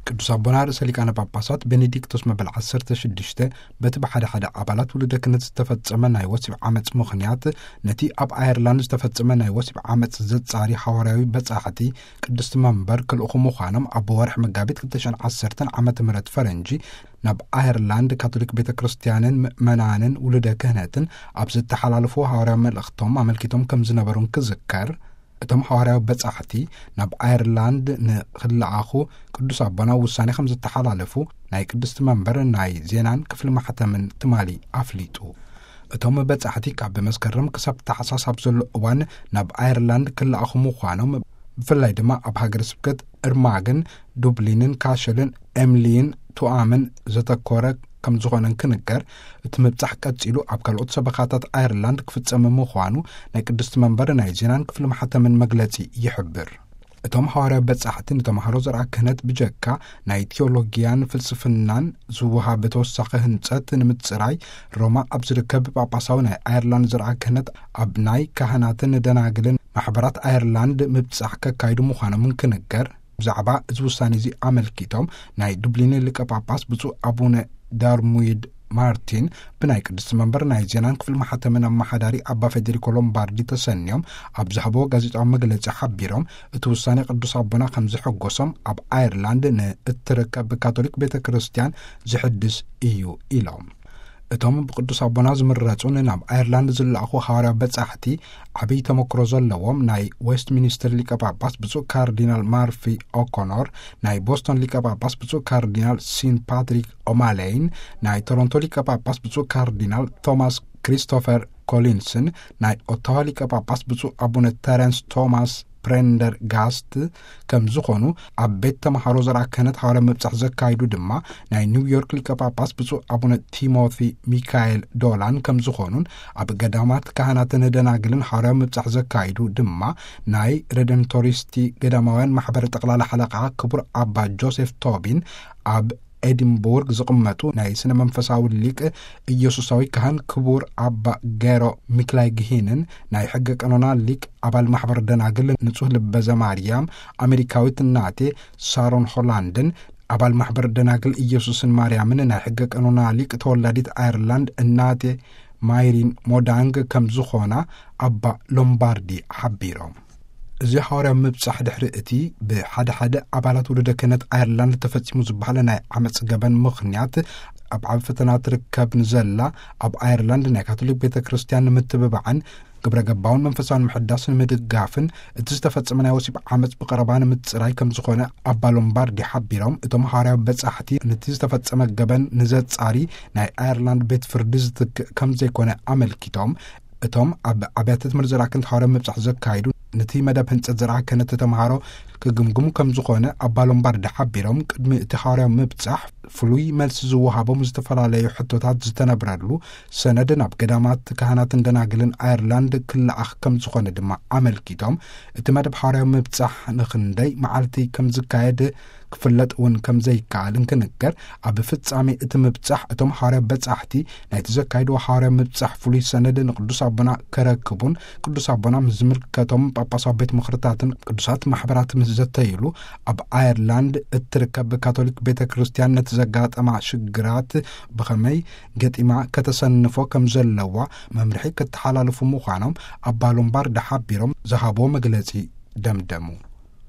ቅዱስ ኣቦና ርእሰ ሊቃነ ጳጳሳት ቤኔዲክቶስ መበል ዓሰርተ ሽዱሽተ በቲ ብሓደ ሓደ ኣባላት ውሉደ ክህነት ዝተፈጸመ ናይ ወሲብ ዓመጽ ምኽንያት፣ ነቲ ኣብ ኣየርላንድ ዝተፈጸመ ናይ ወሲብ ዓመጽ ዘጻሪ ሓዋርያዊ በጻሕቲ ቅድስቲ መንበር ክልእኹ ምዃኖም ኣብ ወርሒ መጋቢት ክልተ ሽሕን ዓሰርተን ዓመተ ምህረት ፈረንጂ ናብ ኣየርላንድ ካቶሊክ ቤተ ክርስቲያንን ምእመናንን ውሉደ ክህነትን ኣብ ዝተሓላለፉ ሓዋርያዊ መልእኽቶም ኣመልኪቶም ከም ዝነበሩን ክዝከር፣ እቶም ሓዋርያዊ በጻሕቲ ናብ ኣየርላንድ ንኽለኣኹ ቅዱስ ኣቦና ውሳኔ ከም ዝተሓላለፉ ናይ ቅድስቲ መንበር ናይ ዜናን ክፍሊ ማሕተምን ትማሊ ኣፍሊጡ። እቶም በጻሕቲ ካብ መስከረም ክሳብ ታሕሳስ ኣብ ዘሎ እዋን ናብ ኣየርላንድ ክለኣኹ ምዃኖም፣ ብፍላይ ድማ ኣብ ሃገረ ስብከት እርማግን ዱብሊንን ካሸልን ኤምሊን ቱኣምን ዘተኮረ ከም ዝኾነን ክንገር፣ እቲ ምብጻሕ ቀጺሉ ኣብ ካልኦት ሰበኻታት ኣየርላንድ ክፍጸም ምዃኑ ናይ ቅድስቲ መንበር ናይ ዜናን ክፍሊ ማሕተምን መግለጺ ይሕብር። እቶም ሓዋርያዊ በጻሕቲ ንተምሃሮ ዘርኣ ክህነት ብጀካ ናይ ቴዎሎጊያን ፍልስፍናን ዝወሃብ ተወሳኺ ህንጸት ንምጽራይ፣ ሮማ ኣብ ዝርከብ ጳጳሳዊ ናይ ኣየርላንድ ዘርኣ ክህነት ኣብ ናይ ካህናትን ደናግልን ማሕበራት ኣየርላንድ ምብጻሕ ከካይዱ ምዃኖምን ክንገር፣ ብዛዕባ እዚ ውሳኔ እዚ ኣመልኪቶም ናይ ዱብሊን ሊቀ ጳጳስ ብፁዕ ኣቡነ ዳርሙይድ ማርቲን ብናይ ቅድስቲ መንበር ናይ ዜናን ክፍሊ ማሕተምን ኣመሓዳሪ ኣባ ፌዴሪኮ ሎምባርዲ ተሰንዮም ኣብ ዝሃብዎ ጋዜጣዊ መግለጺ ሓቢሮም፣ እቲ ውሳኔ ቅዱስ ኣቦና ከም ዘሐጎሶም፣ ኣብ ኣየርላንድ ንእትርከብ ካቶሊክ ቤተ ክርስቲያን ዝሕድስ እዩ ኢሎም። እቶም ብቅዱስ ኣቦና ዝምረጹን ናብ ኣየርላንድ ዝለኣኹ ሓዋርያዊ በጻሕቲ፣ ዓብይ ተመክሮ ዘለዎም ናይ ዌስትሚኒስተር ሊቀ ጳጳስ ብፁዕ ካርዲናል ማርፊ ኦኮኖር፣ ናይ ቦስቶን ሊቀ ጳጳስ ብፁዕ ካርዲናል ሲን ፓትሪክ ኦማሌይን፣ ናይ ቶሮንቶ ሊቀ ጳጳስ ብፁዕ ካርዲናል ቶማስ ክሪስቶፈር ኮሊንስን፣ ናይ ኦታዋ ሊቀ ጳጳስ ብፁዕ ኣቡነ ተረንስ ቶማስ ፕሬንደርጋስት ከም ዝኾኑ፣ ኣብ ቤት ተምሃሮ ዘርኣ ክህነት ሓዋርያዊ ምብጻሕ ዘካይዱ ድማ ናይ ኒውዮርክ ሊቀ ጳጳስ ብፁዕ ኣቡነ ቲሞቲ ሚካኤል ዶላን ከም ዝኾኑን፣ ኣብ ገዳማት ካህናትን ደናግልን ሓዋርያዊ ምብጻሕ ዘካይዱ ድማ ናይ ሬደንቶሪስቲ ገዳማውያን ማሕበር ጠቕላላ ሓለቓ ክቡር ኣባ ጆሴፍ ቶቢን፣ ኣብ ኤዲንቡርግ ዝቕመጡ ናይ ስነ መንፈሳዊ ሊቅ ኢየሱሳዊ ካህን ክቡር ኣባ ገሮ ሚክላይ ግሂንን፣ ናይ ሕገ ቀኖና ሊቅ ኣባል ማሕበር ደናግል ንጹህ ልበ ዘማርያም ኣሜሪካዊት እናቴ ሳሮን ሆላንድን፣ ኣባል ማሕበር ደናግል ኢየሱስን ማርያምን ናይ ሕገ ቀኖና ሊቅ ተወላዲት ኣየርላንድ እናቴ ማይሪን ሞዳንግ ከም ዝኾና ኣባ ሎምባርዲ ሓቢሮም። እዚ ሓዋርያዊ ምብጻሕ ድሕሪ እቲ ብሓደ ሓደ ኣባላት ውሉደ ክህነት ኣየርላንድ ተፈጺሙ ዝበሃለ ናይ ዓመጽ ገበን ምኽንያት፣ ኣብ ዓቢ ፈተና ትርከብ ንዘላ ኣብ ኣየርላንድ ናይ ካቶሊክ ቤተ ክርስቲያን ንምትብባዕን ግብረ ገባውን መንፈሳውን ምሕዳስ ንምድጋፍን፣ እቲ ዝተፈጸመ ናይ ወሲብ ዓመጽ ብቐረባ ንምጽራይ ከም ዝኾነ ኣባ ሎምባርዲ ሓቢሮም፣ እቶም ሓዋርያዊ በጻሕቲ ነቲ ዝተፈጸመ ገበን ንዘጻሪ ናይ ኣየርላንድ ቤት ፍርዲ ዝትክእ ከም ዘይኮነ ኣመልኪቶም፣ እቶም ኣብ ኣብያተ ትምህርቲ ዘርኣ ክህነት ሓዋርያዊ ምብጻሕ ዘካይዱ፣ ነቲ መደብ ህንጸት ዘርኣ ክህነት ተምሃሮ ክግምግሙ ከም ዝኾነ ኣባ ሎምባርዲ ሓቢሮም፣ ቅድሚ እቲ ሓዋርያዊ ምብጻሕ ፍሉይ መልሲ ዝወሃቦም ዝተፈላለዩ ሕቶታት ዝተነብረሉ ሰነድ ናብ ገዳማት ካህናትን ደናግልን ኣየርላንድ ክለኣኽ ከም ዝኾነ ድማ ኣመልኪቶም፣ እቲ መደብ ሓዋርያዊ ምብጻሕ ንኽንደይ መዓልቲ ከም ዝካየድ ክፍለጥ እውን ከም ዘይከኣል እንክንገር፣ ኣብ ፍጻሜ እቲ ምብጻሕ እቶም ሓዋርያ በጻሕቲ ናይቲ ዘካይድዎ ሓዋርያ ምብጻሕ ፍሉይ ሰነድ ንቅዱስ ኣቦና ከረክቡን፣ ቅዱስ ኣቦና ምስ ዝምልከቶም ጳጳሳዊ ቤት ምኽርታትን ቅዱሳት ማሕበራት ምስ ዘተይሉ፣ ኣብ ኣየርላንድ እትርከብ ካቶሊክ ቤተ ክርስቲያን ነቲ ዘጋጠማ ሽግራት ብኸመይ ገጢማ ከተሰንፎ ከም ዘለዋ መምርሒ ክተሓላልፉ ምዃኖም ኣባ ሎምባርድ ሓቢሮም ዝሃብዎ መግለጺ ደምደሙ።